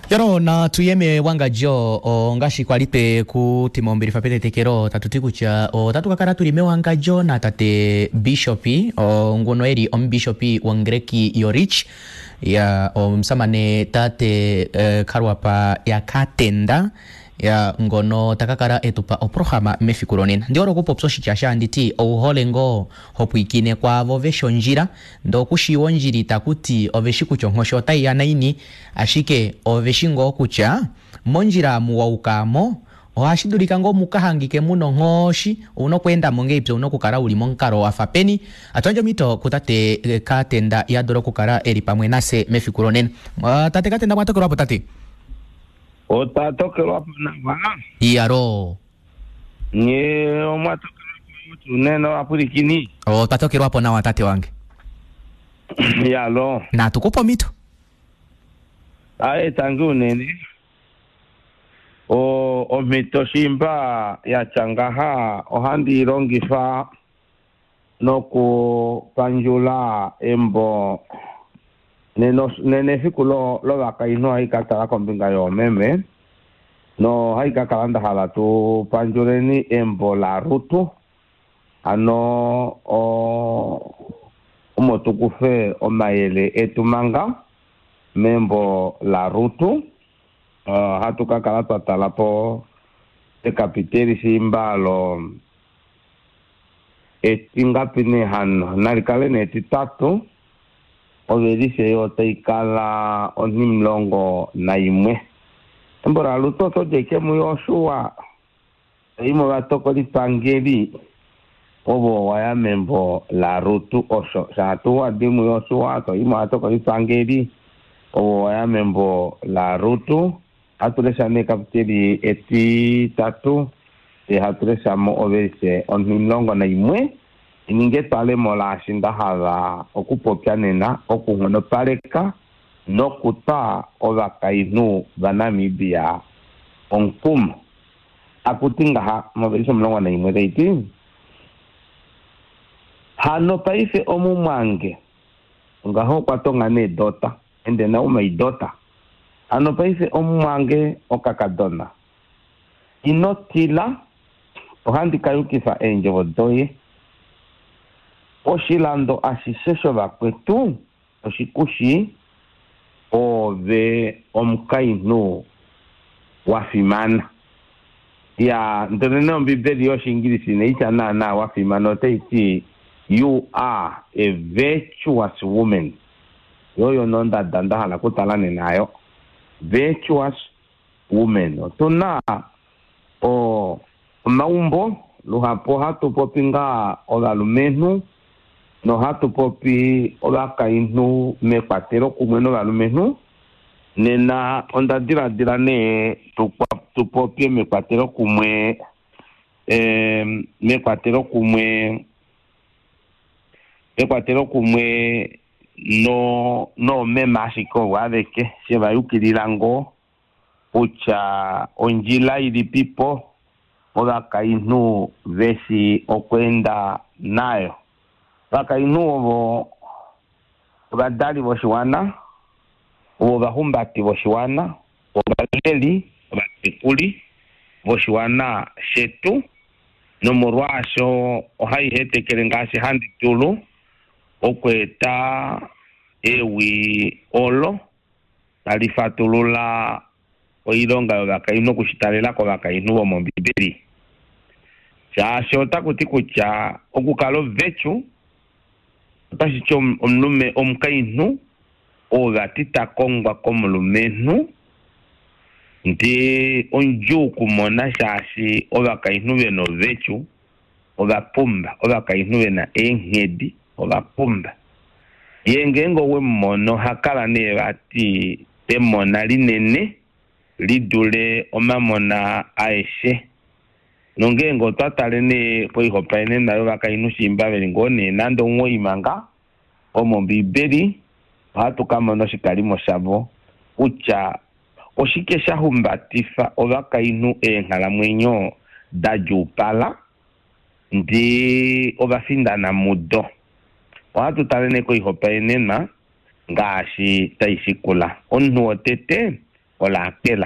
Yoro na tuyeme wangadjo ongaashi kwali twe ku timombilifa petetekelo tatu ti kutya otatu ka kala tuli mewangadjo na tate bishopi nguno eli omubishopi wongereki yorich ya omusamane tate Kalwapa yaKatenda ya ngono taka kala etupa oprograma mefiku lonena. Ndi hole okupopya oshitya shanditi ouhole ngoo hopwiikine kwaavo veshi ondjila ndee okushiiwa ondjila itakuti oveshi kutya onghoshi otaiya naini ashike oveshi ngoo kutya mondjila amu waukamo ohashi dulika ngoo mukahangike muna onghoshi ouna okweendamo ngahelipi ouna okukala uli momukalo wafa peni. Atuyandje omhito kutate Katenda yadule okukala eli pamwe nafye mefiku lonena. Tate Katenda mwatokelwapo tate? Otwa tokelwapo nawa. Iyaloo. Nye omwa tokelwapo tuu nena ovapwilikini? Otwa tokelwapo nawa tate wange. Iyaloo. Natu kupe omhito. Aye tangi unene. O omhito shimba ya tya ngaha ohandi i longifa nokupandjula embo nena efiku lovakainhu ohai ka tala kombinga yoomeme nohai ka kala nda hala tu pandjuleni embo laRut hano omo tu kufe omayele etu manga membo laRut. Ohatu ka kala twa tala po ekapiteli shimba lo etingapi nee hano nali kale nee etitatu ovelishe yo otai kala 11. Embo laRut oto di ashike muJosua tai movatokolipangeli ovo waya membo laRut osho shaatu wadi muJosua toi movatokolipangeli ovo waya membo laRut. Hatu lesha nee kapiteli etitatu te hatu lesha mo ovelishe 11 ininge etwalemo laashi nda hala okupopya nena okunghonopaleka nokutwa ovakainhu vaNamibia omukumo. Akuti ngaha movelishe 11 taiti hano paife omumwange ngaho okwa tonga nee dota ende na umai dota hano paife omumwange okakadona ino tila ohandi ka yukifa eendjovo doye. Oshilando ashishe shovakwetu oshikushi oove omukainhu wa fimana. Ya ndele nee Ombibeli yOshiingilisi inai tya naanaa wa fimana, otai ti you are a virtuous woman. Yo oyo nee ondada nda hala okutala nena ayo, virtuous woman. Otu na omaumbo luhapu ohatu popi ngaa ovalumenhu nohatu popi ovakainhu mekwatelo kumwe novalumenhu. Nena onda diladila nee tu popye mekwatelo kumwe mekwatelo kumwe mekwatelo kumwe no noomeme ashike ovo aveke she va yukilila ngoo kutya ondjila ilipipo ovakainhu veshi okweenda nayo. Ovakainhu ovo ovadali voshiwana, ovo ovahumbati voshiwana, ovaleli, ovatekuli voshiwana shetu, nomolwaasho ohai hetekele ngaashi handi dulu okweeta ewi olo tali fatulula oilonga yovakainhu okushitalela kovakainhu vomOmbibeli. Shaashi otaku ti kutya okukala ovetu otashi ti omulume omukainhu oo vati ta kongwa komulumenhu ndee ondjuu okumona shaashi ovakainhu ve na ovetu ova pumba, ovakainhu ve na eenghedi ova pumba. Ye ngeenge owe mu mono oha kala nee vati emona linene li dule omamona aeshe. Nongeenge otwa tale nee koihopaenenwa yovakainhu shimba ve li ngoo nee nande 9 manga vomOmbibeli, ohatu ka mona oshikalimo shavo kutya oshike sha humbatifa ovakainhu eenghalamwenyo da djuupala ndee ova findana mudo. Ohatu tale nee koihopaenenwa Ngaashi tai shikula. Omunhu wotete oRakel.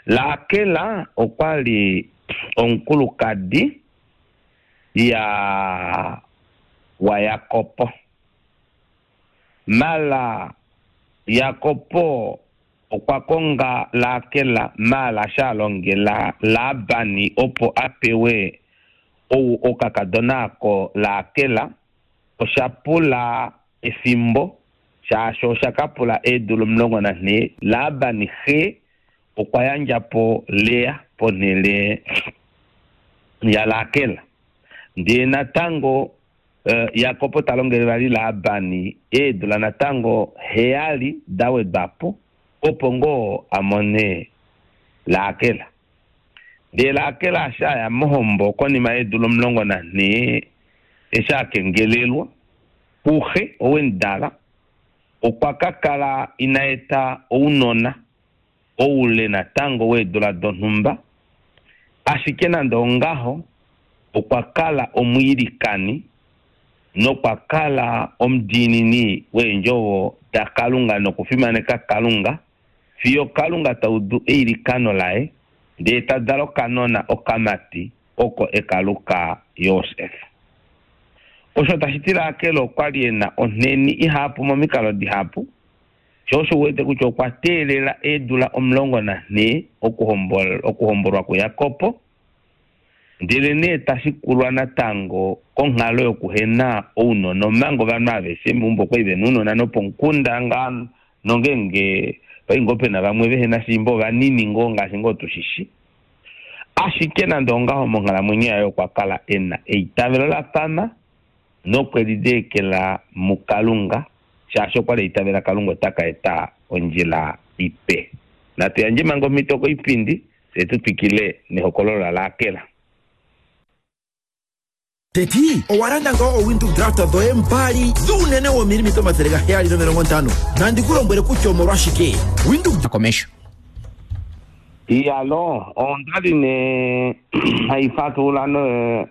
Rakel okwa li omukulukadi ya waJakob. Mala Jakob okwa konga Rakel mala sha longela Laban opo a pewe ou okakadona ako Rakel. Osha pula efimbo, shaashi osha ka pula eedula 14. Laban xe okwa yandja po Lea ponhele yaRakel. Ndee natango Jakob ta longele vali Laban eedula natango 7 da wedwa po, opo ngoo a mone Rakel. Ndee Rakel eshi a ya mohombo konima yeedula 14 eshi a kengelelwa kuxe ou e mu dala, okwa ka kala ina eta ounona oule natango weedula donhumba. Ashike nande ongaho, okwa kala omwiilikani nokwa kala omudiinini weendjovo daKalunga nokufimaneka Kalunga fiyo Kalunga ta udu eilikano laye ndee ta dala okanona okamati oko e ka luka Josef. Osho tashi ti Rakel okwa li e na onheni ihapu momikalo dihapu, sho osho u wete kutya okwa teelela eedula 14 okuhombolwa kuJakob, ndelenee ta shikulwa natango konghalo yokuhena ounona omanga ovanhu aveshe meumbo okwa li ve na ounona nopomukunda ngaa nongeenge pai ngoo pe na vamwe vehe na shiimba ovanini ngoo ngaashi ngoo tu shi shi. Ashike nande ongaho monghalamwenyo yaye okwa kala e na eitavelo la pama nokwe lineekela muKalunga shaashi okwa li a itavela Kalunga ota ka eta ondjila ipe. Natu yandje manga omhito koipindi fye tu twikile nehokololo laRakel. Teti, owa landa ngaa oWindhoek Drafter dhoye mbali dhuunene woomilimita 750? Nandi ku lombwele kutya omolwashike. Windhoek. Komesho. Iyalo, onda li nee hai fatulula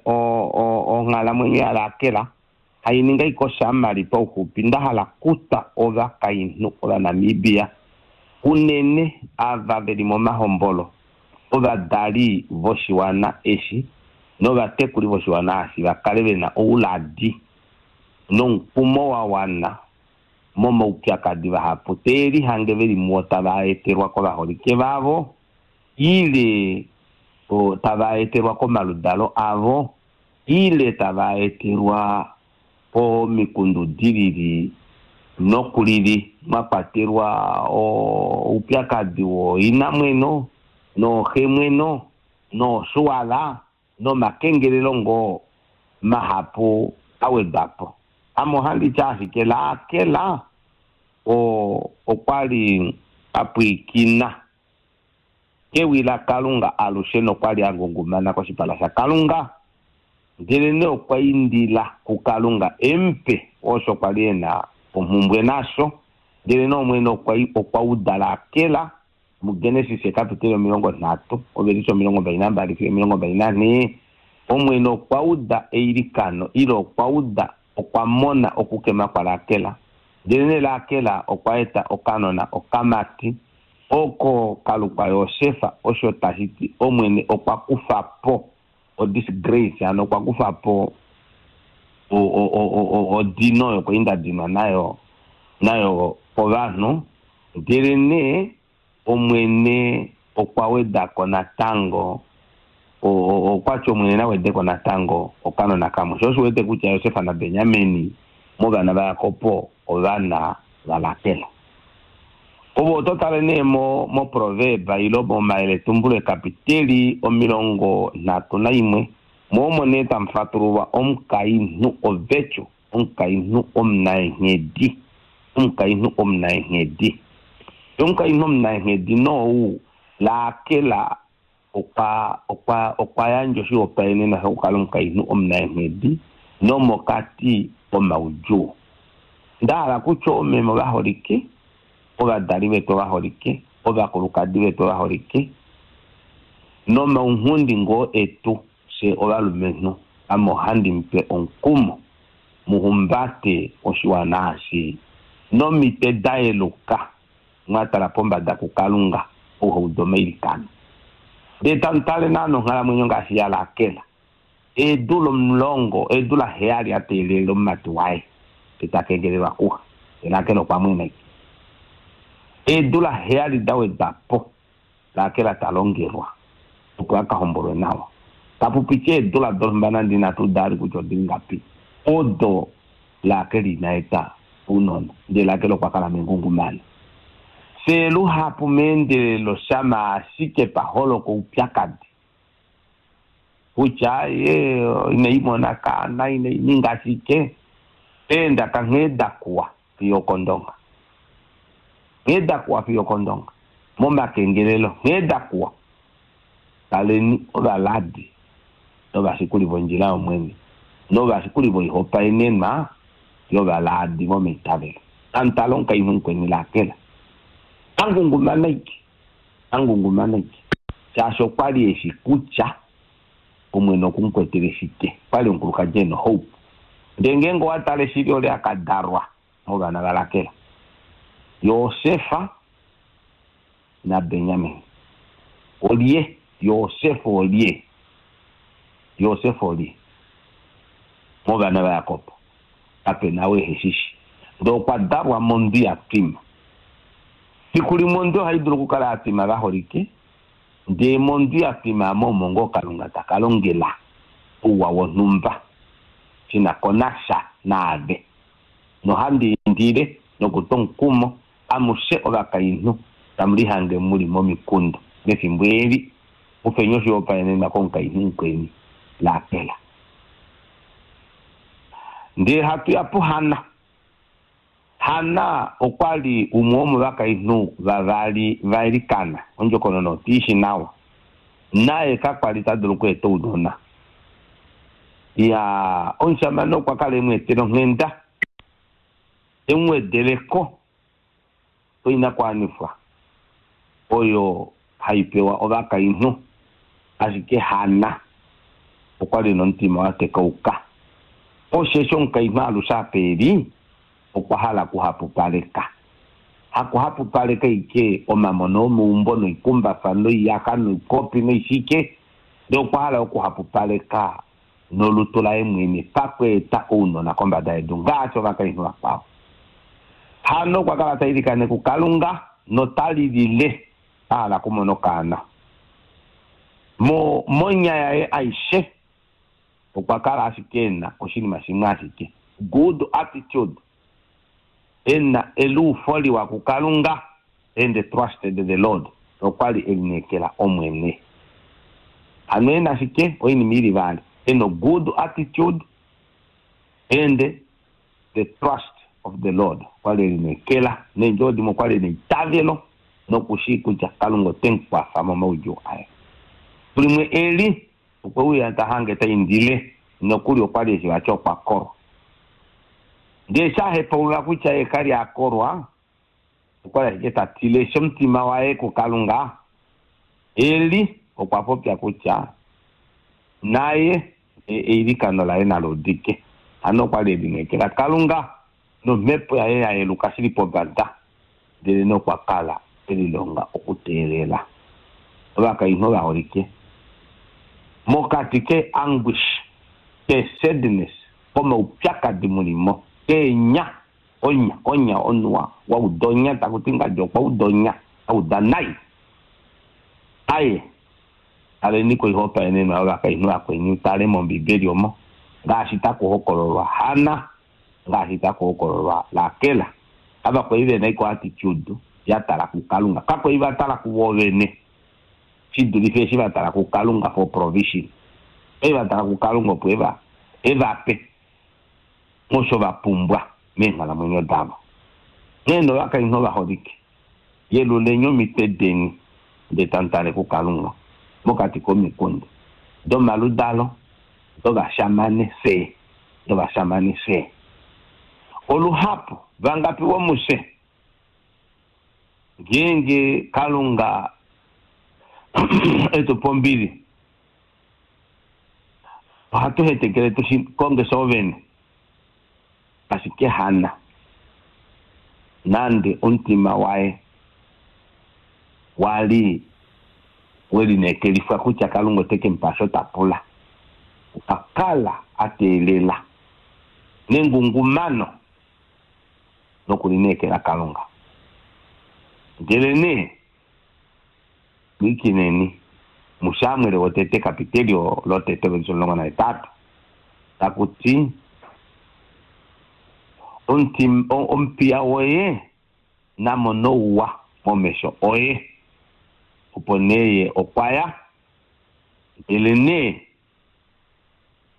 onghalamwenyo yaRakel, hai ninga ashike oshamali pauxupi. Nda hala kutwa ovakainhu Ovanamibia, unene ava ve li momahombolo, ovadali voshiwana eshi novatekuli voshiwana eshi va kale ve na ouladi nomukumo wa wana momaupyakadi vahapu tee lihange ve li muo tava etelwa kovaholike vavo ile tava etelwa komaludalo avo ile tava etelwa pomikundu di lili noku lili, mwa kwatelwa oupyakadi wooinamweno nooxemweno noosuwala nomakengelelo ngoo mahapu a wedwa po. Ame ohandi ti ashike Rakel okwa li a pwilikina kewi laKalunga alushe nokwa li a ngungumana koshipala shaKalunga, ndelenee okwa indila kuKalunga e mu pe osho kwa li e na omhumbwe nasho. Ndelenee Omwene okwa uda Rakel muGenesis ekapiteli 30, ovelishe 22 fiyo 24. Omwene okwa uda eilikano, ile okwa uda, okwa mona okukema kwaRakel. Ndelenee Rakel okwa eta okanona okamati, oko ka lukwa Josef, osho tashi ti Omwene okwa kufa po odisgrace, hano okwa kufa po odino oyo kwali nda dinwa nayo kovanhu. Ndelenee Omwene okwa weda ko natango, okwa ti Omwene na wede ko natango okanona kamwe. Sho osho wete kutya Josef naBenjamin movana vaJakob ovana vaRakel. Ove oto tale nee moProverb ile momayeletumbulo ekapiteli 31, mo omo nee tamu fatululwa omukainhu ovetyu, omukainhu omunaenghedi, omukainhu omunaenghedi. Omukainhu omunaenghedi nou Rakel okwa yandja oshihopaenenwa shokukala omukainhu omunaenghedi nomokati komaudjuu. Nda hala kutya oomeme ovaholike, ovadali vetu ovaholike, ovakulukadi vetu ovaholike, nomaunghundi ngoo etu fye ovalumenhu, ame ohandi mu pe omukumo. Muhumbate oshiwana eshi nomitwe da yeluka, mwa tala pombada kuKalunga, ou ha udu omailikano. Ndee tamu tale naana onghalamwenyo ngaashi yaRakel. Eedula 10, eedula 7 a teelela omumati waye, ndee ta kengelelwa kuxe. Ndee Rakel okwa mwena ashike. Eedula 7 da wedwa po, Rakel ta longelwa opo a ka hombolwe nawa. Tapu piti eedula donhumba nande inatu uda vali kutya odi ngapi, odo Rakel ina eta ounona, ndele Rakel okwa kala mengungumano. Fye luhapu meendelelo shama ashike pa holoka oupyakadi kutya ye inai mona kaana, inai ninga shike, eendaka nghee da kuwa fiyo okOndonga. Nghee da kuwa fiyo okOndonga. Momakengelelo nghee da kuwa. Kaleni ovaladi novashikuli vondjila yOmwene, novashikuli voihopaenenwa yovaladi vomeitavelo. Amutala omukainhu mukweni Rakela, a ngungumana aike, a ngungumana aike, shaashi okwa li e shi kutya Omwene oku mu kwetele shike. Okwa li omukulukadi e na ohope. Ndele ngeenge owa tale shili olye a ka dalwa movana vaRakel, Josef naBenjamin. Olye? Josef olye? Josef olye? Movana vaJakob kape na ou ehe shi shi. Ndele okwa dalwa mondwi ya twima. Fiku limwe ondwi ohai dulu okukala ya twima vaholike, ndele mondwi ya twima amo omo ngoo Kalunga ta ka longela ouwa wonhumba shi na ko nasha naave. Nohandi indile nokutwa omukumo amushe ovakainhu tamu lihange mu li momikunda mefimbo eli, kufeni oshihopaenenwa komukainhu mukweni, Rakela. Ndele hatu ya puHanna. Hanna okwa li umwe womovakainhu vavali vaElikana, ondjokonona otu i shi nawa. Naye kakwa li ta dulu okweeta ounona. Ya, omushamane okwa kala e mu etela onghenda, e mu wedele ko oinakuwanifwa oyo hai pewa ovakainhu, ashike Hanna okwa li nomutima wa tekauka. Osheshi omukainhu alushe apa e li, okwa hala okuhapupaleka. Hakuhapupaleka ashike omamona omeumbo noikumbafa noiyaxa noikopi noishike, ndele okwa hala okuhapupaleka nolutu laye mwene pakweeta ounona kombada yedu ngaashi ovakainhu vakwao. Hano okwa kala ta ilikane kuKalunga nota lilile a hala okumona okaana. Mo, monya yaye aishe okwa kala ashike e na oshinima shimwe ashike, good attitude, e na eluufo liwa kuKalunga and trusted the Lord, nokwa li e lineekela Omwene. Hano e na shike? Oinima i li vali. E na good attitude and the trust of the Lord. Okwa li e lineekela. Neendjovo dimwe okwa li e na eitavelo noku shii kutya Kalunga ote mu kwafa momaudjuu aye. Limwe eli, okwe uya ta hange ta indile, nokuli okwa li eshi vati okwa kolwa. Ndele eshi a hepaulula kutya ye ka li a kolwa, okwa li ashike ta tile eshi omutima waye kuKalunga, Eli okwa popya kutya naye eilikano laye nali udike. Hano okwa li e lineekela Kalunga nomhepo yaye ya yeluka shili pombada, ndelenee okwa kala e lilonga okuteelela. Ovakainhu ovaholike, mokati ke anguish, ke sadness, komaupyakadi mu li mo, keenya, onya, onya, omunhu wa, wa uda onya, taku ti ngadi okwa uda onya, a uda nai. Aye, taleni koihopaenenwa yovakainhu vakweni, tale mOmbibeli omo, ngaashi taku hokololwa Hanna, ngaashi taku hokololwa Rakel. Ava kwali ve na iko attitude ya tala kuKalunga. Kakwali va tala kuvo vene, shi dulife eshi va tala kuKalunga for provision. Okwali va tala kuKalunga opo e va, e va pe osho va pumbwa meenghalamwenyo davo. Nghee novakainhu ovaholike, yeluleni omitwe deni ndee tamu tale kuKalunga mokati komikunda domaludalo dovashamane fye, dovashamane fye. Oluhapu vangapi vomufye ngeenge Kalunga e tu pa ombili, ohatu hetekele tu shi konge fye vene. Ashike Hanna, nande omutima waye wa li we lineekelifwa kutya Kalunga ote ke mu pa osho ta pula, okwa kala a teelela nengungumano nokulineekela Kalunga. Ndelenee, pwilikineni, muSamuel wotete kapitelio lotete ovelishe 18, taku ti, Omupiya woye na mone ouwa momesho oye. Opo nee ye okwa ya, ndelenee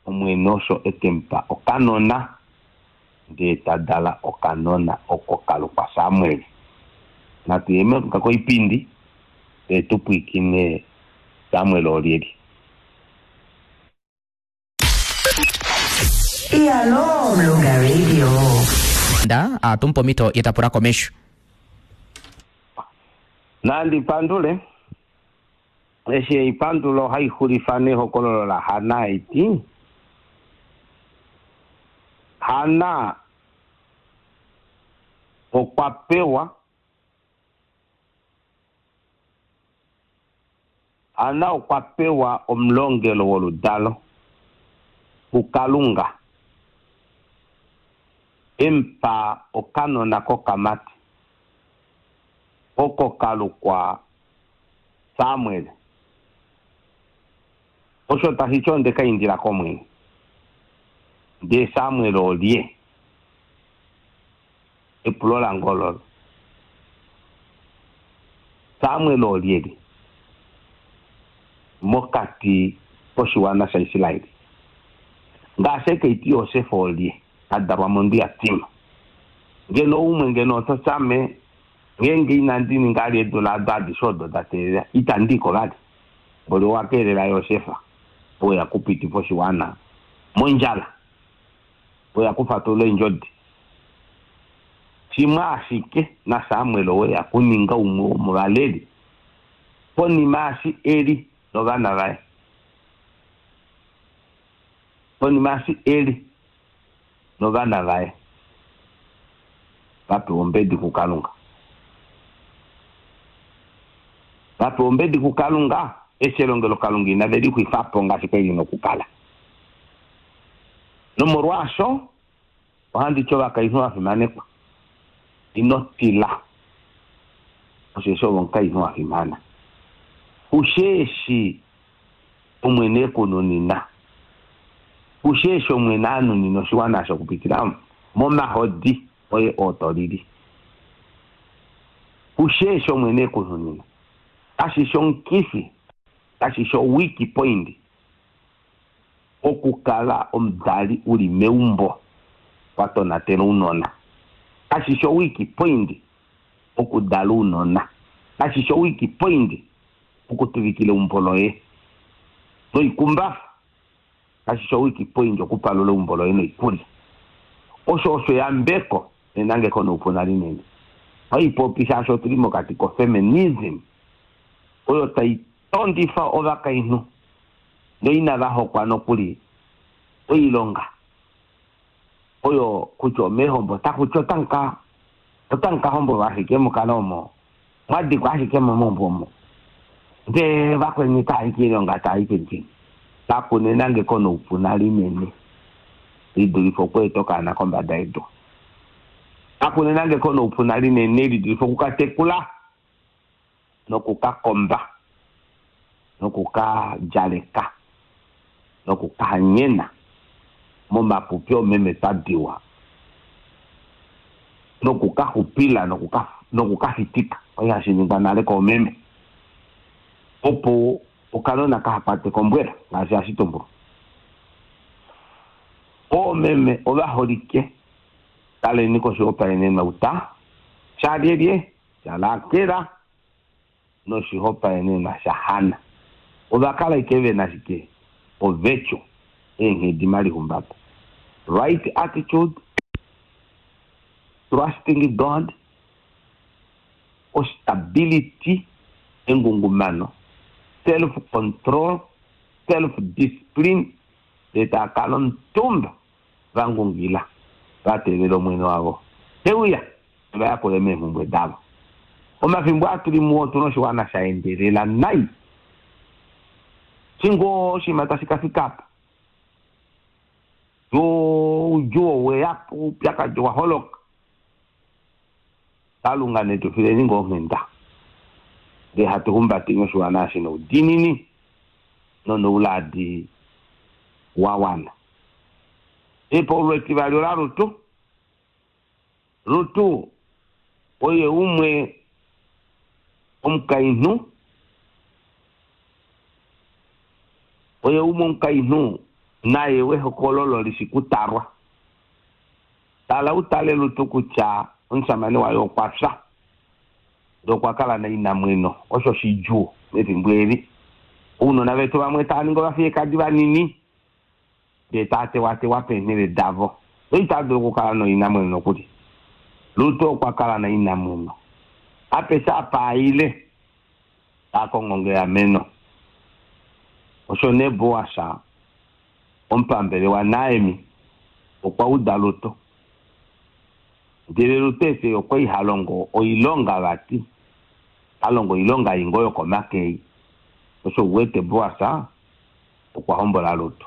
Omwene osho e ke mu pa okanona, ndee ta dala okanona oko ka lukwa Samuel. Natu ye koipindi, ndee tu pwilikine Samuel olyelye. Iyaloo Mlunga Radio. Nda a tu mupe omhito ye ta pula komesho. Nandi pandule. Eshi eipandulo ohai xulifa nehokololo laHanna hai ti, Hanna okwa pewa Hanna okwa pewa omulongelo woludalo kuKalunga, e mu pa okanona kokamati, oko ka lukwa Samuel. Osho tashi ti onde ka indila kOmwene. Ndee Samuel olye? Epulo lange ololo. Samuel olyelye mokati koshiwana shaIsrael? Ngaashi eke iti Josef olye a dalwa mondwi ya tima? Ngeno umwe ngeno oto ti ame ngeenge inandi ninga vali eedula ado adishe odo da teelela, itandi i ko vali. Mboli owa keelela Josef owe ya kupitifa oshiwana mondjala. Oya kufatulula eendjodi. Shimwe ashike, naSamuel owe ya kuninga umwe womovaleli konima eshi Eli novana vaye konima eshi Eli novana vaye va pewa ombedi kuKalunga. Va pewa ombedi kuKalunga eshi elongelokalunga inave li xwifa po ngaashi kwali li na okukala. Nomolwaasho ohandi ti ovakainhu vafimanekwa, ino tila, osheshi ove omukainhu wa fimana. Kushe eshi Omwene e ku nunina, kushe eshi Omwene a nunina oshiwana osho okupitila momahodi oye oo to lili. Kushe eshi Omwene e ku nunina, kashi shi omukifi, kashi shi owiki point, Okukala omudali u li meumbo wa tonatela ounona kashi shi owiki point okudala ounona kashi shi owiki point okutuvikila eumbo loye noikumbafa kashi shi owiki point okupalula eumbo loye noikulya. Osho osho eyambeko nenangeko noupuna linene. Ohai popi shaashi otu li mokati kofeminism oyo tai tondifa ovakainhu noinava hokwa nokuli oilonga oyo kutya omeehombo taku ti otamu ka otamu ka hombolwa ashike mu kale omo mwa dikwa ashike momaumbo omo ndee vakweni tava i kiilonga tava i peni kaku na enangeko noupuna linene li dulife okweeta okaana kombada yedu. Kaku na enangeko noupuna linene li dulife oku ka tekula noku ka komba, noku ka djaleka, noku ka hanyena momapupi oomeme twa diwa, noku ka xupila noku ka noku ka fitika, osho hashi ningwa nale koomeme, opo okanona kaha kwatwe kombwela, ngaashi hashi tumbulwa. Oomeme ovaholike, taleni koshihopaenenwa uta shalyelye? shaRakela noshihopaenenwa shaHanna. Ova kala ashike ve na shike? Ovetyo, eenghedimalihumbato, right attitude, trusting God, ostability, engungumano, self control, self discipline, ndee tava kala omutumba va ngungila. Va teelela Omwene wavo te uya e va yakule meemhumbwe davo. Omafimbo aa tu li muo otu na oshiwana sha endelela nai. Shi ngoo oshinima tashi ka fika apa, oudjuu owe ya po, oupyakadi owa holoka. Kalunga ne tu fileni ngoo onghenda, ndee hatu humbateni oshiwana eshi noudiinini nonouladi wa wana. Epaululo etivali olaRutu. Rutu oye umwe omukainhu oye umwe omukainhu naye wehokololo li shi kutalwa. Tala u tale Rutu kutya omushamane waye okwa fya, ndee okwa kala nainamweno. Osho shidjuu mefimbo eli. Ounona vetu vamwe tava ningi ovafiyekadi vanini. Ndee taa tewatewa peenhele davo. Noitaa dulu okukala noinamweno nokuli. Rut okwa kala nainamweno. Apeshe apa a ile, ta kongo eameno. Osho nee Boas, omupambele waNaemi, okwa uda Rut. Ndele Rut eshi okwa li ha longo oilonga vati, ha longo oilonga ei ngoo yokomake ei. Osho u wete Boas okwa hombola Rut.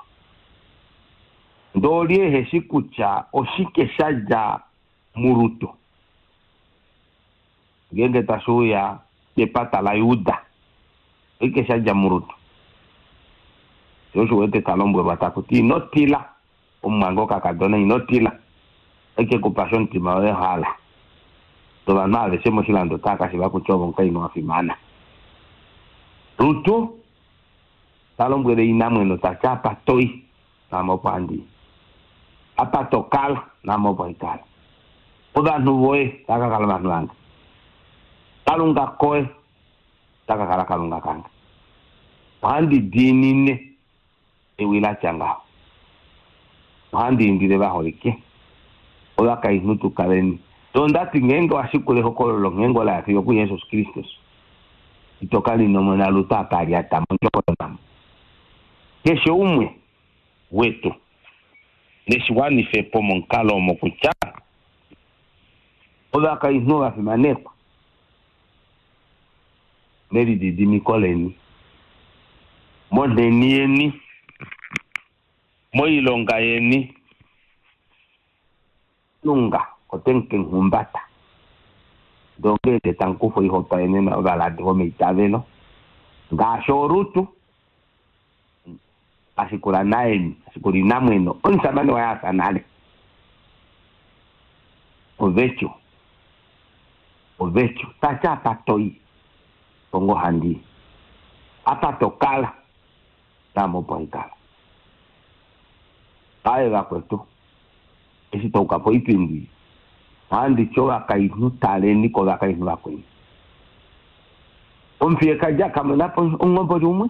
Ndee olye ehe shi kutya oshike sha dja muRut ngeenge tashi uya kepata laJuda? Oshike sha dja muRut? Sho osho u wete ta lombwelwa taku ti, Ino tila, omumwange okakadona, ino tila. Otai ke ku pa osho omutima woye wa hala. Ndee ovanhu aveshe moshilando otava ka shiiva kutya ove omukainhu wa fimana. Rut Ta lombwele inamweno ta ti, Apa to i, naame opo handi i. Apa to kala, naame opo handi kala. Ovanhu voye otava ka kala ovanhu vange. Kalunga koye ota ka kala Kalunga kange. Ohandi diinine ewi la tya ngaho. Ohandi indile vaholike ovakainhu tu kaleni. Onda ti ngeenge wa shikula ehokololo longheengo la ya fiyo okuJesus Kristus, ito ka linomona lutu apa a lyata mondjokonona. Keshe umwe wetu neshi wanife po momukalo omo kutya ovakainhu ova fimanekwa melididimiko leni, monheni yeni, moilonga yeni. Kalunga ote mu ke mu humbata. Ndele ongeenge tamu kufa oihopaenenwa yovaladi vomeitavelo, ngaashi ooRut, a shikula Naemi, a shikula inamweno, omushamane waye a fya nale. Ovetyo, ovetyo, ta ti apa to i, opo ngoo handi i. Apa to kala, naame opo handi kala. Aye vakwetu, eshi twa uka poipindi, ohandi ti ovakainhu taleni kovakainhu vakweni. Omufiyekadi a ka mona po omuhomboli umwe,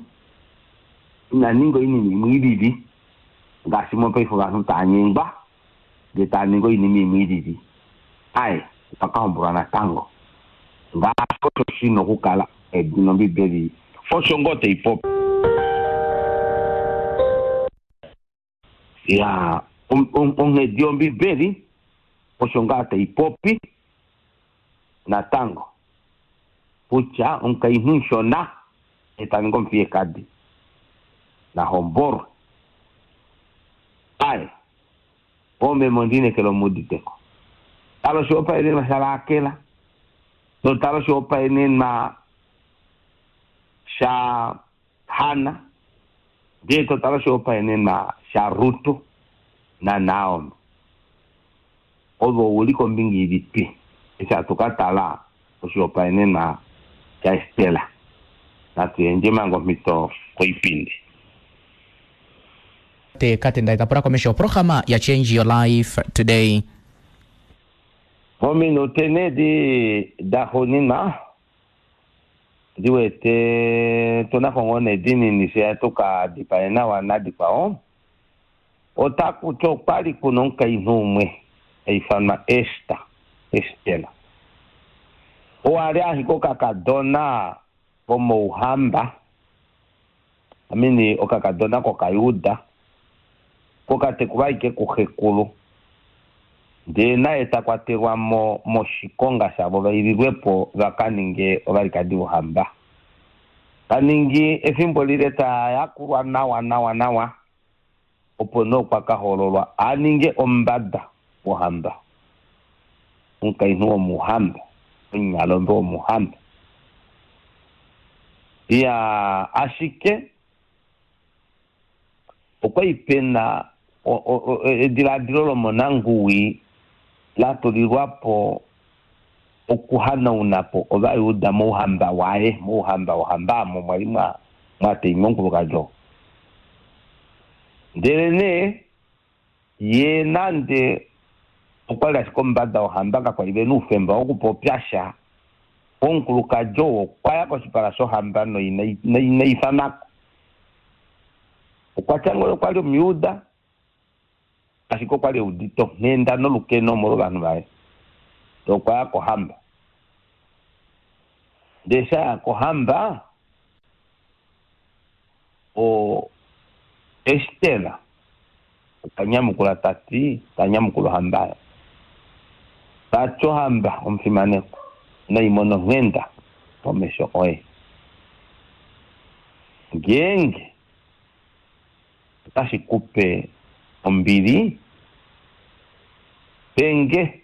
ina ninga oinima imwe i lili, ngaashi mopaife ovanhu tava nyengwa ndee tava ningi oinima imwe i lili. Aye, okwa ka hombolwa natango. Ngaashi osho shi na okukala, edina Ombibeli osho ngoo tai popi. Ya, onghedi yOmbibeli osho ngaa tai popi natango kutya omukainhu mushona e ta ningi omufiyekadi na hombolwe. Aye, oomeme ondi inekela omu udite ko. Tala oshihopaenenwa shaRakel, notala oshihopaenenwa shaHanna, ndee to tala oshihopaenenwa shaRut naNaomi. Ove ou li kombinga ilipi eshi hatu ka tala oshihopaenenwa shaEster? Natu yandje manga omhito koipindi. Te Katenda ta pula komesho oprograma ya Change Your Life Today. Mominute nee edi daxuuninwa, Ndi wete tu na ko ngoo nee dinini fye tu ka dipae nawa nadikwao. Otaku ti okwa li ku na omukainhu umwe ha ifanwa Ester, Estela. Oo a li ashike okakadona komouhamba, I mean okakadona kOkayuda, kokatekulwa ashike kuxekulu. Ndee naye ta kwatelwa mo moshikonga shavo va ililwe po va ka ninge ovalikadi vohamba. Ta ningi efimbo lile ta yakulwa nawa nawa nawa, opo nee okwa ka hoololwa a ninge omumbada wohamba, omukainhu womuhamba, omunyalombe womuhamba. Iyaa, ashike Okwali pe na edilaadilo lomonanguwi la tulilwa po okuhanauna po Ovajuda mouhamba waye, mouhamba wohamba omo mwa li mwa tainywa omukulukadi oo. Ndelenee ye nande okwa li ashike omumbada wohamba, kakwa li ve na oufemba wokupopya sha. Omukulukadi oo okwa ya koshipala shohamba noina ifanwa ko. Okwa tya ngoo okwa li Omujuda, ashike okwa li e udite onghenda nolukeno omolwovanhu vaye. Ndele okwa ya kohamba. Ndele eshi a ya kohamba, o Ester okwa nyamukula ta ti, ta nyamukula ohamba oyo, ta ti, Ohamba omufimanekwa, nai mone onghenda pomesho oye. Ngeenge otashi ku pe ombili, pe nge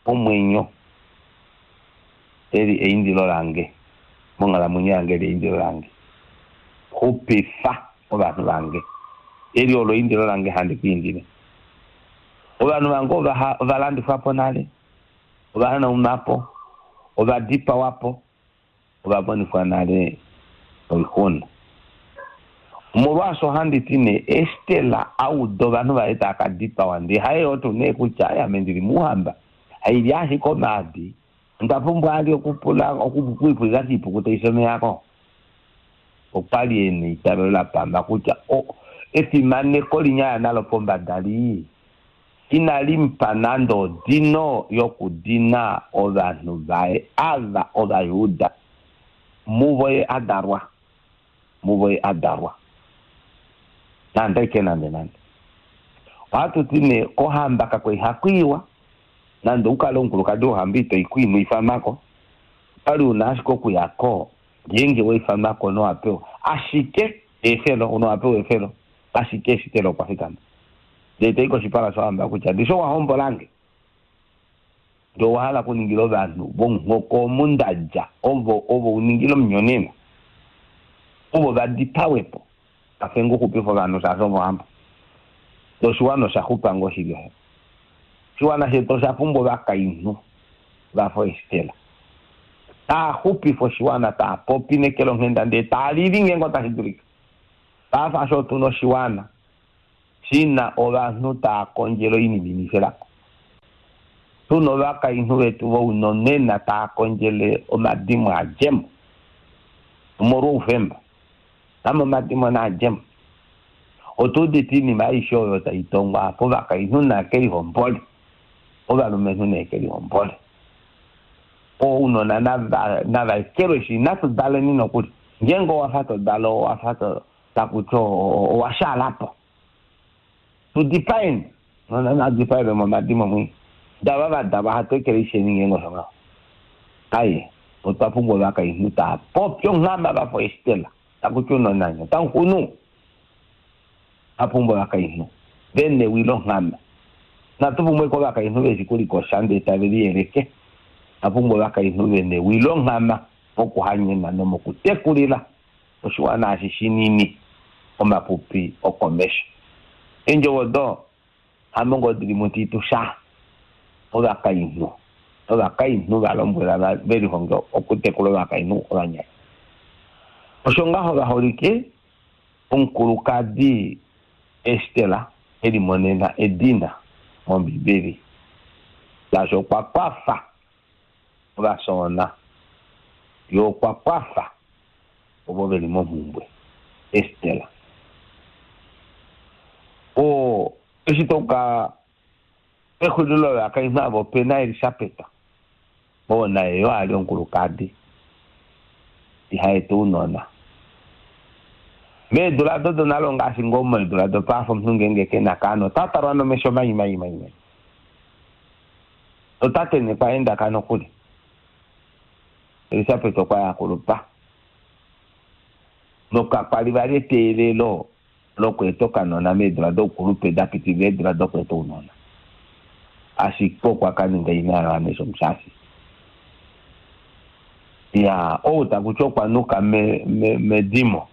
omwenyo. Eli eindilo lange monghalamwenyo yange, eli eindilo lange. Xupifa ovanhu vange. Eli olo eindilo lange handi ku indile. Ovanhu vange ova, ova landifwa po nale, ova hanaunwa po, ova dipawa po, ova monifwa nale oixuna. Omolwaasho handi ti nee, Ester a uda ovanhu vaye tava ka dipawa, ndee haye oo tuu nee kutya, Ai, ame ndi li mouhamba, hailya ashike omaadi, onda pumbwa ali okupula, okwiipulila kiipuku tai fi omeya ko. Okwa li e na eitavelo la pama kutya o, efimaneko linya a ya nalo pombada li inali mu pa nande odino yokudina ovanhu vaye ava Ovajuda, muvo ye a dalwa, muvo ye a dalwa. Nande aike nande nande. Ohatu ti nee kohamba kakwa ihaku iwa, nande u kale omukulukadi wohamba ito i ko ino ifanwa ko, okwali u na ashike okuya ko ngeenge wa ifanwa ko nowa pewa ashike eefelo, nowa pewa eefelo, ashike Ester okwa fikama ndele ta i koshipala shohamba kutya, Ndishi owa hombola nge, ndele owa hala okuningila ovanhu vomuhoko omu nda dja, ovo ovo u ningile omunyonena, ovo va dipawe po. Kwafe nge u xupife ovanhu, shaashi ove ohamba. Ndele oshiwana osha xupa ngoo shili osho. Oshiwana shetu osha pumbwa ovakainhu va fa Ester, taa xupifa oshiwana, taa popi neke longhenda ndele taa lili ngeenge otashi dulika. Paife asho otu na oshiwana shi na ovanhu taa kondjele oinima inifelako. Tu na ovakainhu vetu vounonena taa kondjele omadimo a dje mo omolwoufemba. Ame omadimo naa dje mo. Otu udite oinima aishe oyo tai tongwa apa, ovakainhu naa ke lihombole, ovalumenhu nee ke lihombole. Ounona nava nava ekelweshi, inatu daleni nokuli. Ngeenge owa fa to dala owa fa to taku ti owa shaala po. Tu dipaeni. Nona na dipaelwe momadimo mwi. Dava va dalwa hatu ekeleisheni ngeenge osho ngaho. Aye, otwa pumbwa ovakainhu taa popi onghama va fa Ester, taku ti unona nye otamu xunu. Otwa pumbwa ovakainhu ve newi longhama. Inatu pumbwa ashike ovakainhu ve shi kulikosha ndee tave liyeleke. Otwa pumbwa ovakainhu ve newi longhama mokuhanyena nomokutekulila oshiwana eshi shinini omapupi okomesho. Eendjovo odo hamo ngoo di li muTitus sha ovakainhu novakainhu va lombwela ve lihonge okutekula ovakainhu ovanyasha. Osho ngaho vaholike, omukulukadi Ester e limonena edina mOmbibeli, shaashi okwa kwafa ovafyoona, ye okwa kwafa ovo ve li momhumbwe. Ester. O, eshi to ka pexulilo lovakainhu ava ope na Elisabet, oo naye yo a li omukulukadi iha eta ounona. Meedula odo donale ongaashi ngoo meedula dopaife omunhu ngeenge ke na kaana ota talwa nomesho mai mai mai mai. Otate nekwaendaka nokuli. Elisabet okwa yakulupa. Nokakwali vali eteelelo lokweeta okanona meedula doukulupe da pitilila eedula dokweeta ounona. Ashike okwa ka ninga ina yaJohannes Omushashi. Ya, ou taku ti okwa nuka me, me, medimo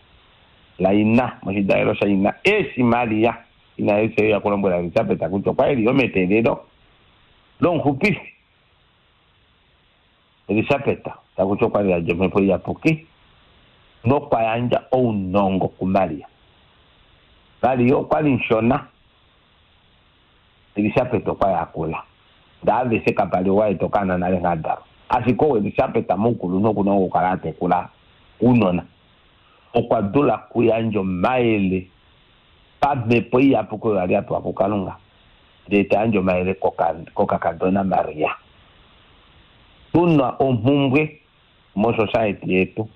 laina, moshidalelo shaina, eshi Maria ina yaJesus ya kulombwela Elisabet kutya okwa eli yo meteelelo lomuxupifi. Elisabet taku ti okwa li a dja omhepo iyapuki nokwa yandja ounongo kuMaria. Maria okwa li mushona, Elisabet okwa yakula. Ndee aveshe kapa li ou a eta okaana nale nghee a dalwa. Ashike ou Elisabet moukulunhu oku na okukala a tekula ounona. Okwa dula okuyandja omayele pamhepo iyapuki oyo a li a pewa kuKalunga, ndee ta yandje omayele kokakadona Maria. Tu na omhumbwe mosociety yetu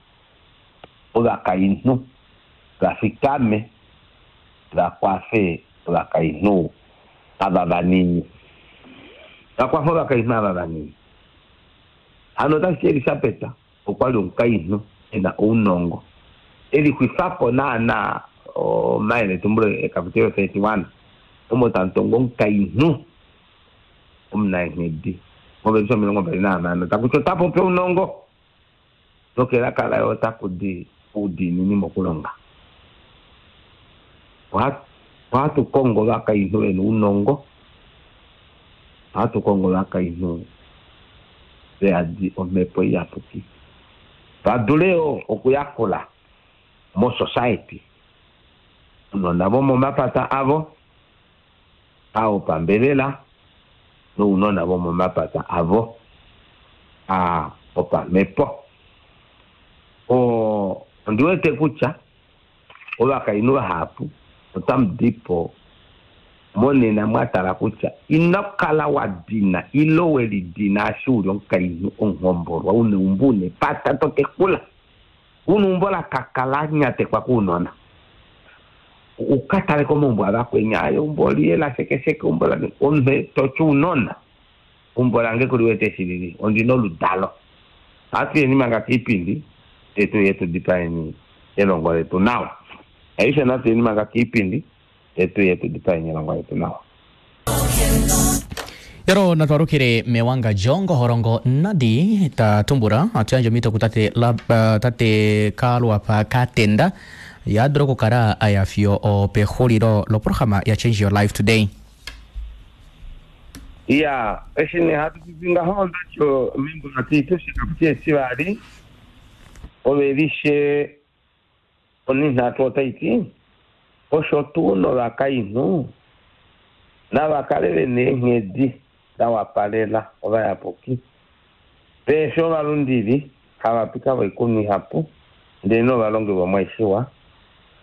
ovakainhu va fikame va kwafe ovakainhu ava vanini. Va kwafe ovakainhu ava vanini. Hano otashi ti Elisabet okwa li omukainhu e na ounongo, e lixwifa po naanaa omayeletumbulo ekapitelo 31 omo tamu tongwa omukainhu omunaenghedi movelishe 26 taku ti ota popi ounongo nokelaka laye otaku di oudiinini mokulonga. Ohatu kongo ovakainhu ve na ounongo, ohatu kongo ovakainhu ve yadi omhepo iyapuki va dule yo okuyakula mosociety ounona vomomapata avo a opambelela nounona vomomapata avo a opamhepo. Ondi wete kutya ovakainhu vahapu otamu di po monena mwa tala kutya ino kala wa dina ile we lidina eshi u li omukainhu omuhombolwa u na eumbo u na epata to tekula u na eumbo la kaka la nyatekwa kounona. U ka tale komaumbo avakweni, aye eumbo oli la shekesheke, eumbo la omunhu to ti ounona. Eumbo lange kuli wete eshi lili, ondi na oludalo. Ohatu yeni manga kiipindi, ndee tu uye tu dipaeni elongo letu nawa. Aishe natu yeni manga kiipindi, ndee tu uye tu dipaeni elongo letu nawa. Yaro natwarukile mewangadjo ngoholongo nadi ta tumbula atuyandje omhito kutate la, uh, tate Kaluapa Katenda ya dula okukala a ya fiyo opexulilo loprograma ya Change Your Life Today. Ya, eshi nee hatu popi ngaho ondati membo laTitus ekaputi etivali ovelishe onhinhatu otai ti, Osho tuu novakainhu nava kale ve na eenghedi da wapalela ovayapuki, vehe fi ovalundili, havapika voikunwa ihapu, ndelenee ovalongi vomwaishiwa,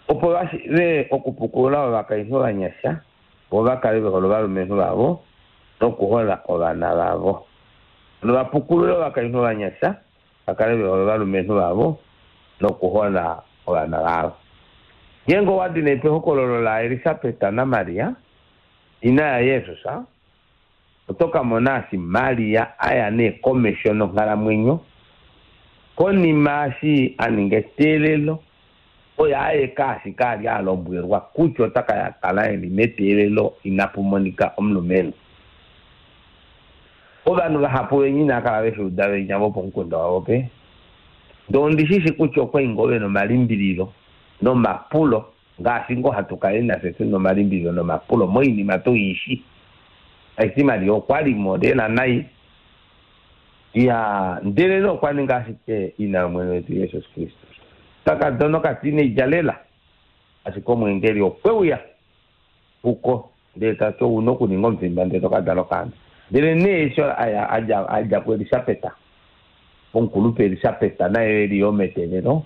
opo va shiive okupukulula ovakainhu ovanyasha, vo va kale ve hole ovalumenhu vavo nokuhola ovana vavo. Nova pukulule ovakainhu ovanyasha, va kale ve hole ovalumenhu vavo nokuhola ovana vavo. Ngeenge owa di nee pehokololo laElisabet naMaria, ina yaJesus, oto ka mona eshi Maria a ya nee komesho nonghalamwenyo konima eshi a ninga eteelelo oye aeke ashike a li a lombwelwa kutya ota ka kala e li meteelelo inapu monika omulumenhu. Ovanhu vahapu venya inava kala ve shi uda venya vopomukunda wavo pe. Ndee ondi shi shi kutya okwa li ngoo ve na omalimbililo nomapulo ngaashi ngoo hatu kala nafye tu na omalimbililo nomapulo moinima tu i shi. Tashi ti Maria okwa li mo lela nai. Iya, ndelenee okwa ninga ashike ina yOmwene wetu Jesus Kristus. Okakadona okatineidja lela, ashike omweengeli okwe uya kuko ndele ta ti, Ou na okuninga omufimba ndele to ka dala okaana. Ndelenee eshi a ya, a dja, a dja kuElisabet, omukulupe Elisabet naye e li yo meteelelo,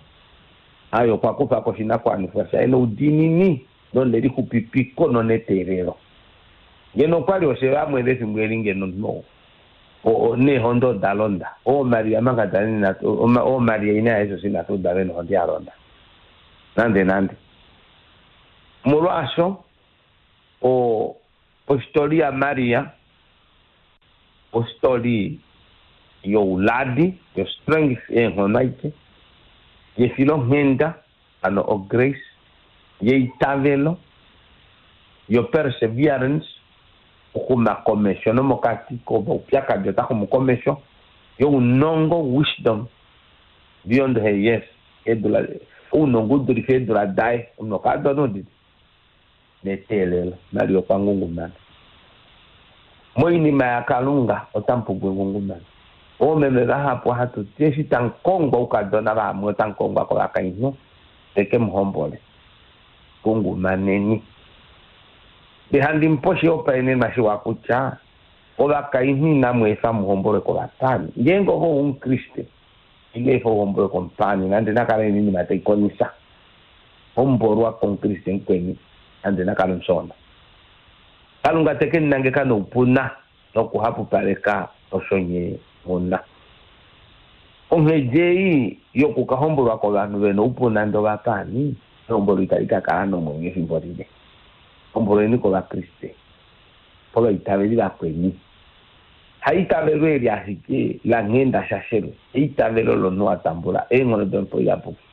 aye okwa kufa ko oshinakuwanifwa shaye noudiinini nonelixupipiko noneteelelo. Ngeno okwa li oshe vamwe vefimbo eli ngeno omunhu ou neehondo oda londa. OoMaria Magdalene inatu, ooMaria ina yaJesus inatu uda ve nohonde ya londa. Nande nande. Molwaasho, o, ohistory yaMaria. Ostori youladi, yo-strength, eenghono aike, yefilonghenda, hano o-grace, yeitavelo, yo-perseverance, okuxuma komesho nomokati komaupyakadi ota xumu komesho, younongo, wisdom, beyond her years, eedula, ounongo u dulife eedula daye, omunhu okadona udite neteelelo, Maria okwa ngungumana. Moinima yaKalunga otamu pumbwa engungumano. Oomeme vahapu ohatu ti eshi tamu kongwa oukadona vamwe otamu kongwa kovakainhu veke mu hombole. Ngungumaneni. Ndee handi mu pe oshihopaenenwa shiwa kutya ovakainhu inamu efa mu hombolwe kovapaani. Ngeenge ove oumukriste, ino efa u hombolwe komupaani nande na kale oinima tai konisa. Hombolwa komukriste mukweni nande na kale omushoona. Kalunga te ke mu nangeka noupuna nokuhapupaleka osho nye mu na. Onghedi ei yoku ka hombolwa kovanhu ve na oupuna nande ovapaani, ehombolo itali ka kala nomwenyo efimbo lile. Hombolweni kOvakriste, kovaitaveli vakweni. Haitavelo eli ashike langhenda shashelwe, eitavelo lomunhu a tambula eenghono dOmhepo Iyapuki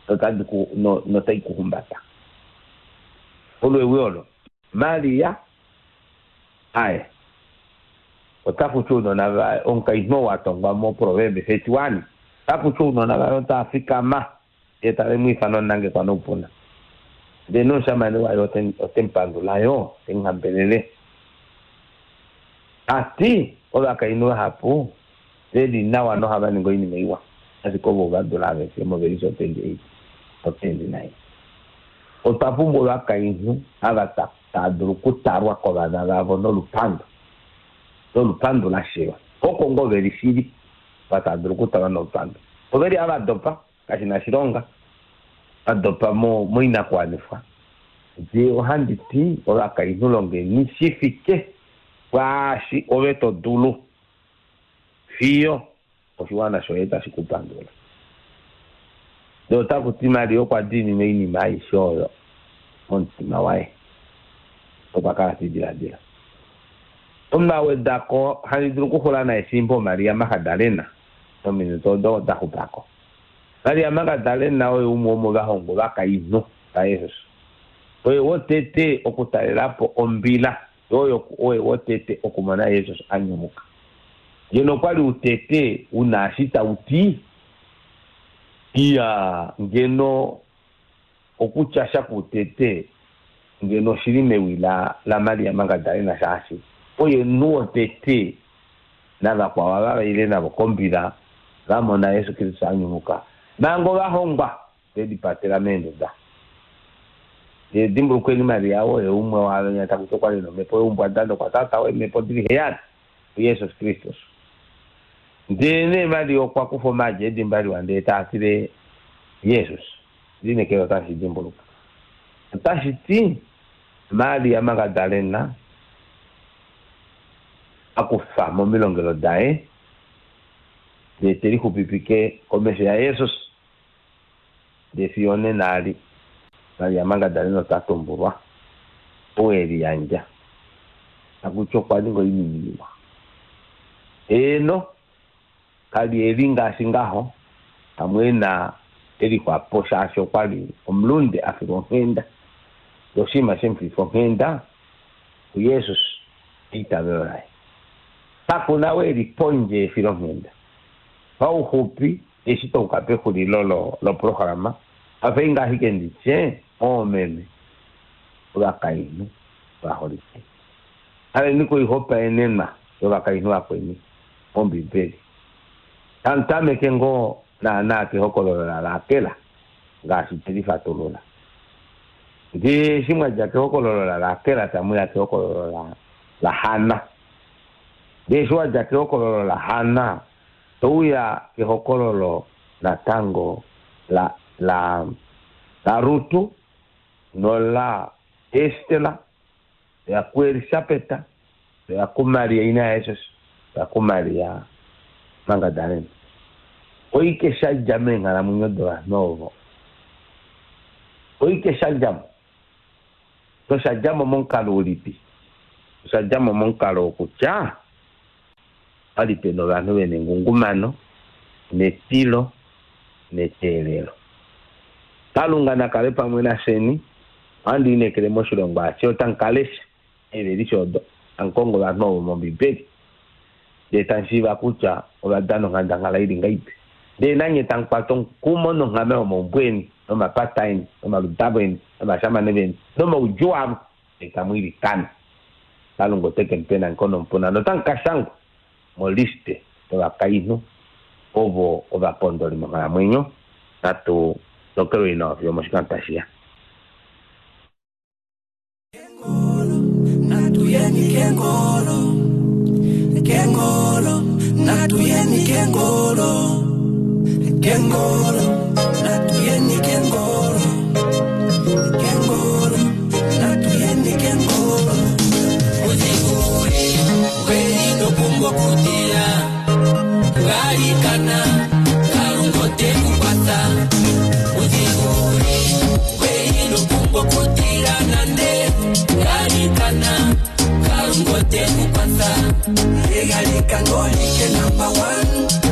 notadi ku, no, notai ku humbata. Olo ewi olo. Maria, Aye. Otaku ti ounona vaye, omukainhu ou a tongwa moProverbs 31, otaku ti ounona vaye otava fikama, ndee tave mu ifana omunangekwa noupuna. Ndee nomushamane waye ote, ote mu pandula yo, te mu hambelele. Ta ti, ovakainhu vahapu ve li nawa nohava ningi oinima iwa, ashike ovo ova dula aveshe movelishe 28 no 29. Otwa pumbwa ovakainhu ava tava dulu okutalwa kovana vavo nolupandu, nolupandu la sheywa. Oko ngoo ve li shili, ava tava dulu okutalwa nolupandu. Ove li ava dopa, kashi na oshilonga, va dopa moinakuwanifwa. Ndee ohandi ti, ovakainhu longeni shi fike pwaashi ove to dulu, fiyo oshiwana shoye tashi ku pandula. Ndele otaku ti Maria okwa diinina oinima aishe oyo momutima waye nokwa kala te i diladila. Omunhu a weda ko, Handi dulu okuxula naye fimbo Maria Magdalena mominute odo da xupa ko. Maria Magdalena oye umwe womovahongwa ovakainhu vaJesus. Oye wotete okutalela po ombila Oye oye wotete okumona Jesus a nyumuka. Ngeno okwa li utete u na eshi tau ti, iya, ngeno okutya sha kuutete ngeno oshi li mewi la, laMaria Magdalena shaashi oye omunhu wotete navakwao ava va ile navo kombila va mona Jesus Kristus a nyumuka manga ovahongwa ve lipatela meenduda. Ndele dimbulukweni Maria oye umwe waavenya taku ti okwa li nomhepo youmbwada nokwa taataa eemhepo di li heyali kuJesus Kristus. Ndelenee Maria okwa kufa omaadi edimba liwa ndele taa tile Jesus. Lineekela otashi shi dimbuluka. Otashi ti Maria Magdalena a kufa momilongelo daye ndele te lixupipike komesho yaJesus. Ndee fiyo onena ali, Maria Magdalena ota tumbulwa ou e liyandja, taku ti okwa ninga oinima iwa. Heeno, ka li e li ngaashi ngaho, pamwe e na elixwa po shaashi okwa li omulunde a filwa onghenda. Ndee oshinima she mu fifa onghenda kuJesus eitavelo laye. Kaku na ou e li pondje yefilonghenda. Pauxupi, Eshi twa uka pexulilo loprograma, hafei ngaa ashike ndi tye, Oomeme ovakainhu ovaholike, taleni koihopaenenwa yovakainhu vakweni mOmbibeli. Tamu tameke ngoo naanaa kehokololo laRakel, ngaashi twe li fatulula. Ndee eshi mwa dja kehokololo laRakel tamu ya kehokololo laHanna. Ndee eshi wa dja kehokololo laHanna To uya kehokololo natango la, la, laRutu nola Estela, to ya kuElisabeta, to ya kuMaria ina yaJesus, to ya kuMaria Magdalena. Oike sha dja meenghalamwenyo dovanhu ovo? Oike sha dja mo? Nosha dja mo momukalo ulipi? Osha dja mo momukalo wokutya. Opa li pena ovanhu vena engungumano netilo neteelelo. Kalunga na kale pamwe nafyeni. Ohandi lineekele moshilongo ashishe otamu ka lesha eevelishe odo, tamu kongo ovanhu ovo mOmbibeli, ndele tamu shiiva kutya ova dana onghandangala i li ngahelipi. Ndele nanye tamu kwata omukumo nonghama yomaumbo eni, nomapata eni, nomaludalo eni, novashamane veni, nomaudjuu avo, ndele tamu ilikana. Kalunga ote ke mu pa enangeko nomupuna notamu ka shangwa moliste yovakainhu ovo ovapondoli monghalamwenyo. Natu tokelweni nawa fiyo omoshikando tashi ya. Natuyeni kengolo, kengolo, natuyeni kengolo, kengolo, natuyeni kengolo, kengolo, natuyeni kengolo. Muzikuri, kweli topumbwa okutila, galikana, Kalunga ote ku kwatha. Muzikuri, kweli topumbwa okutila nande, galikana, Kalunga ote ku kwatha. Egalikano like number one.